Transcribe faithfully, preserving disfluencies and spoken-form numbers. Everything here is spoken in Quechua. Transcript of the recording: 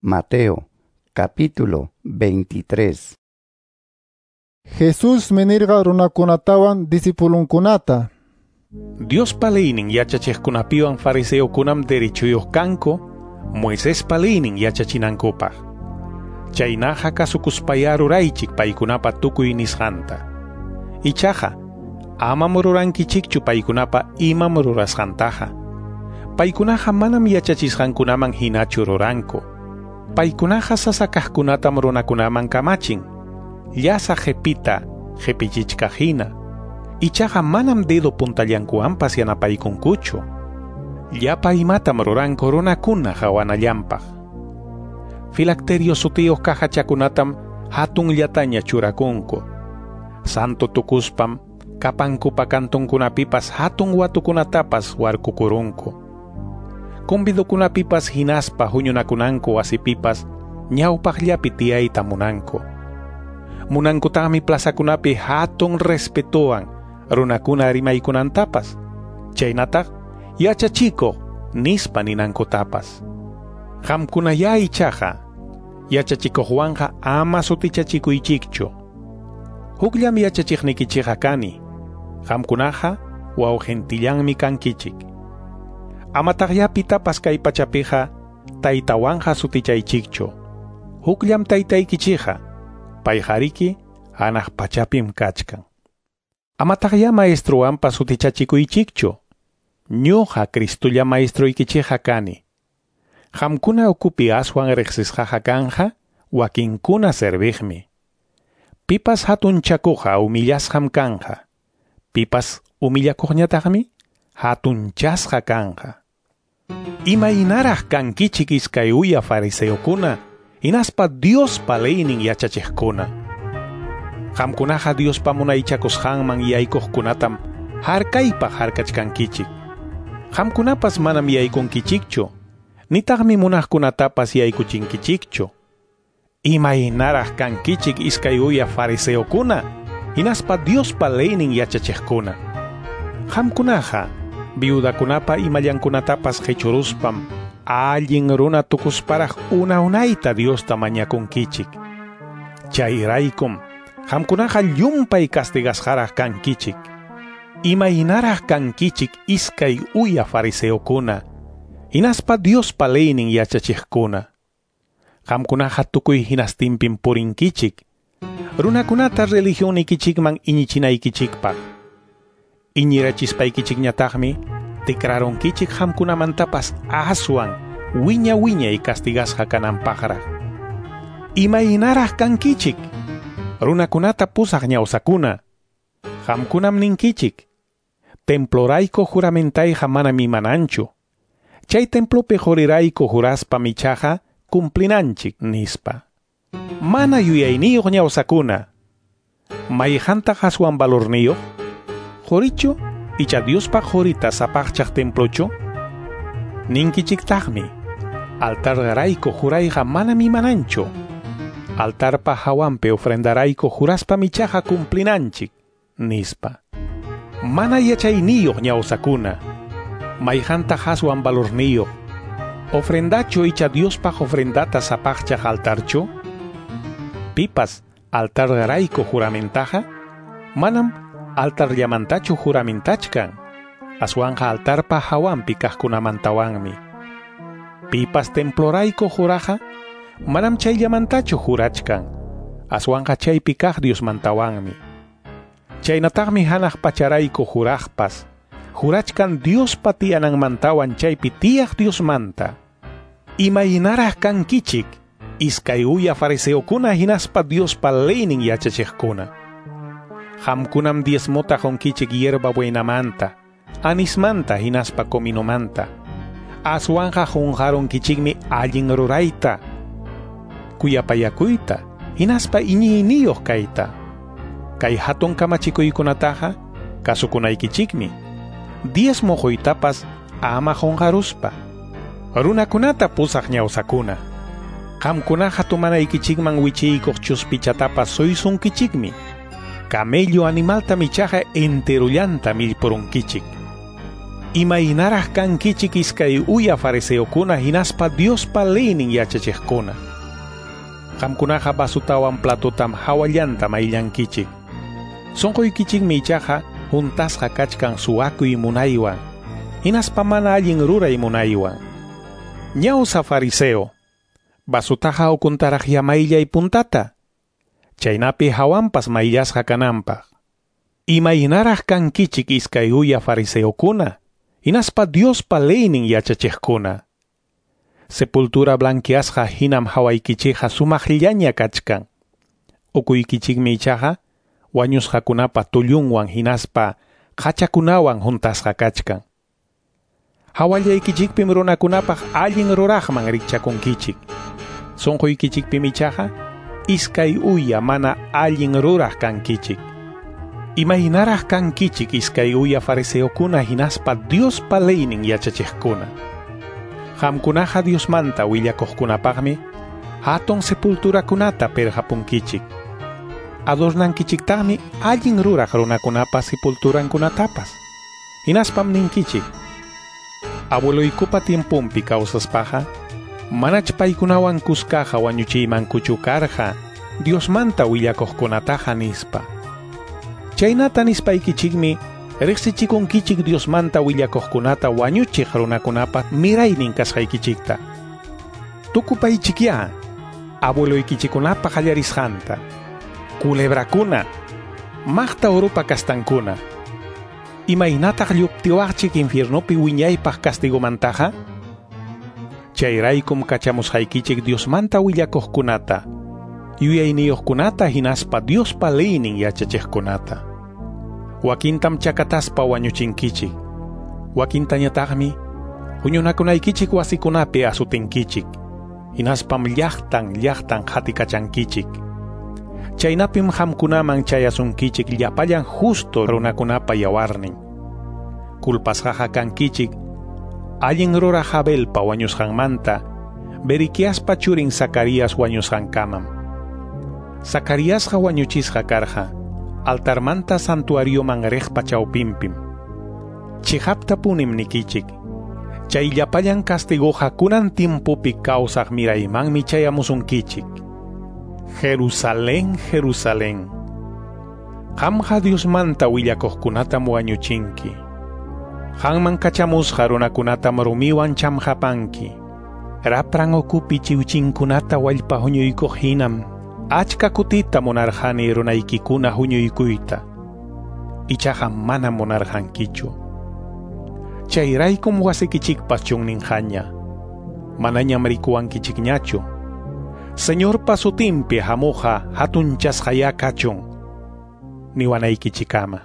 Mateo, capítulo veintitrés. Jesús nirqa runakunatawan discipulunkunata. Diospa leynin yachachiqkunapiwan fariseokunam derechuyuq kanku Moisespa leynin yachachinankupaq. Chaynaqa kasukuspayá ruraychik paykunapa tukuy nisqanta. Ichaqa amam rurankichikchu paykunapa imam rurasqantaqa. Paykunaqa manam yachachisqankunaman hinachu ruranku. Paykunaqa sasakaqkunatam runakunaman kamachin. Llasa qipita qipichichkaq hina. Ichaqa manam dedo puntallankuwanpas yanapaykunkuchu. Llapa imatam ruranku runakuna hawanallanpaq. Filacterio sutiyuq cajachakunatam hatunllataña churakunku. Santo tukuspam kapankupa kantunkunapipas hatun watukunatapas warkukurunku. Convidokunapipas hinaspa huñunakunanku wasipipas ñawpaqllapi tiyayta munanku. Munankutaqmi plazakunapi hatun respetuwan runakuna rimaykunantapas, chaynataq yachachikuq nispa ninankutapas. Qamkunayá ichaqa yachachikuqwanqa ama sutichachikuychikchu. Hukllam yachachiqnikichikqa kani, qamkunaqa wawqintillanmi kankichik. Amataqyá pitapas kay pachapiqa taytawanqa sutichaychikchu. Hukllam taytaykichikqa, payqariki hanaq pachapim kachkan. Amataqyá maestruwanpas sutichachikuychikchu. Ñuqa Cristulla maestruykichikqa kani. Qamkuna ukupi aswan riqsisqaqa kanja wakinkuna serviqmi. Pipas hatunchakuqqa humillasqam kanja. Pipas humillakuqñataqmi hatunchasqa kanja. Imaynaraq kankichik iskay uya fariseokuna, hinaspa Diospa leynin yachachiqkuna. Qamkunaqa Diospa munaychakusqanman yaykuqkunatam harkaypaq harkachkankichik. Qamkunapas manam yaykunkichikchu, nitaqmi munaqkunatapas yaykuchinkichikchu. Imaynaraq kankichik iskay uya fariseokuna, hinaspa Diospa leynin yachachiqkuna. Qamkunaqa viudakunapa imallankunatapas qichuruspam allin runa tukusparaq una unayta Diosta mañakunkichik. Chayraykum qamkunaqa llumpay castigasqaraq kankichik. Imaynaraq kankichik iskay uya fariseokuna, hinaspa Diospa leynin yachachiqkuna. Qamkunaqa tukuy hinastinpim purinkichik, runakunata religionnikichikman iñichinaykichikpaq. Iñirachispaykichikñataqmi tikrarunkichik qamkunamantapas aswan wiña wiñay castigasqa kananpaqraq. Imaynaraq kankichik, runakunata pusaq ñawsakuna. Qamkunam ninkichik, templorayku juramentayqa manam imananchu. Chay templopi qurirayku juraspa ichaqa cumplinanchik nispa. Mana yuyayniyuq ñawsakuna. Mayqantaq aswan valorniyuq? Qurichu icha Diospaq qurita sapaqchaq templochu? Ninkichiktaqmi, altarrayku jurayqa manam imananchu. Altarpa hawanpi ofrendarayku juraspa ichaqa cumplinanchik nispa. Mana yachayniyuq ñawsakuna. Mayqantaq aswan valorniyuq? Ofrendachu icha Diospaq ofrendata sapaqchaq altarchu? Pipas altarrayku juramentaqa manam altarllamantachu juramentachkan, aswanqa altarpa hawanpi kaqkunamantawanmi. Pipas templorayku juraqa manam chayllamantachu jurachkan, aswanqa chaypi kaq Diosmantawanmi. Chaynataqmi hanaq pacharayku juraqpas, jurachkan Diospa tiyananmantawan chaypi tiyaq Diosmanta. Imaynaraq kankichik, iskay uya fariseokuna hinaspa Diospa leynin yachachiqkuna. Qamkunam diezmota qunkichik hierba buenamanta, anismanta hinaspa cominomanta. Aswanqa qunqarunkichikmi allin rurayta, kuyapayakuyta, hinaspa iñiyniyuq kayta. Kay hatun kamachikuykunataqa kasukunaykichikmi. Diezmo quytapas ama qunqaruspa. Runakunata pusaq ñawsakuna. Qamkunaqa tumanaykichikman wichiykuq chuspichatapas suysunkichikmi. Camello animaltam ichaqa enterullanta millpurunkichik. Imaynaraq kankichik iskay uya fariseokuna hinaspa Diospa leynin yachachiqkuna. Qamkunaqa vasutawan platotam hawallanta mayllankichik. Sunquykichikmi ichaqa huntasqa kachkan suwakuy munaywan, hinaspa mana allin ruray munaywan. Ñawsa fariseo, vasutaqa ukuntaraq mayllay puntata, chaynapi hawanpas mayllasqa kananpaq. Imaynaraq kankichik iskay uya fariseokuna, hinaspa Diospa leynin yachachiqkuna. Sepultura blanqueasqa hinam hawaykichikqa sumaqllaña kachkan. Ukuykichikmi ichaqa wañusqakunapa tullunwan hinaspa qachakunawan huntasqa kachkan. Hawallaykichikpim runakunapaq allin ruraqman rikchakunkichik. Sunquykichikpim ichaqa iskay uya mana allin ruraq kankichik. Imaynaraq kankichik iskay uya fariseokuna hinaspa Diospa leynin yachachiqkuna. Qamkunaqa Diosmanta willakuqkunapaqmi hatun sepulturakunata pirqapunkichik. Adornankichiktaqmi allin ruraq runakunapa sepulturankunatapas. Hinaspam ninkichik: abueloykupa tiempompi kawsaspaqa manach paykunawan kuskaqa wañuchiymankuchu karqa Diosmanta willakuqkunataqa nispa. Chaynata nispaykichikmi riqsichikunkichik Diosmanta willakuqkunata wañuchiq runakunapa miraynin kasqaykichikta. Tukupaychikyá abueloykichikkunapa qallarisqanta. Culebrakuna, maqta urupa kastankuna. Imaynataq lluptiwaqchik infiernopi wiñaypaq castigomantaqa? Chayraykum kachamusqaykichik Diosmanta willakuqkunata, yuyayniyuqkunata hinaspa Diospa leynin yachachiqkunata. Wakintam chakataspa wañuchinkichik, wakintañataqmi huñunakunaykichik wasikunapi asutinkichik, hinaspam llaqtan llaqtan qatikachankichik. Chaynapim qamkunaman chayasunkichik llapallan justo runakunapa yawarnin. Culpasqaqa kankichik allin ruraq Abelpa wañusqanmanta Beriquiaspa churin Zacarías wañusqankamam. Zacaríasqa wañuchisqa karqa altarmanta santuarioman riqpa chawpinpim. Chiqaptapunim nikichik, chay llapallan castigoqa kunan tiempopi kawsaq miraymanmi chayamusunkichik. Jerusalén, Jerusalén, qamqa Diosmanta willakuqkunatam wañuchinki. Qanman kachamusqa runakunatam rumiwan chamqapanki. Rapran ukupi chiwchinkunata wallpa huñuykuq hinam achka kutita munarqani runaykikuna huñuykuyta. Ichaqa manam munarqankichu. Chayraykum wasikichikpas chunninqaña. Manañam rikuwankichikñachu. Señorpa sutinpi hamuqa hatunchasqayá kachun, niwanaykichikama.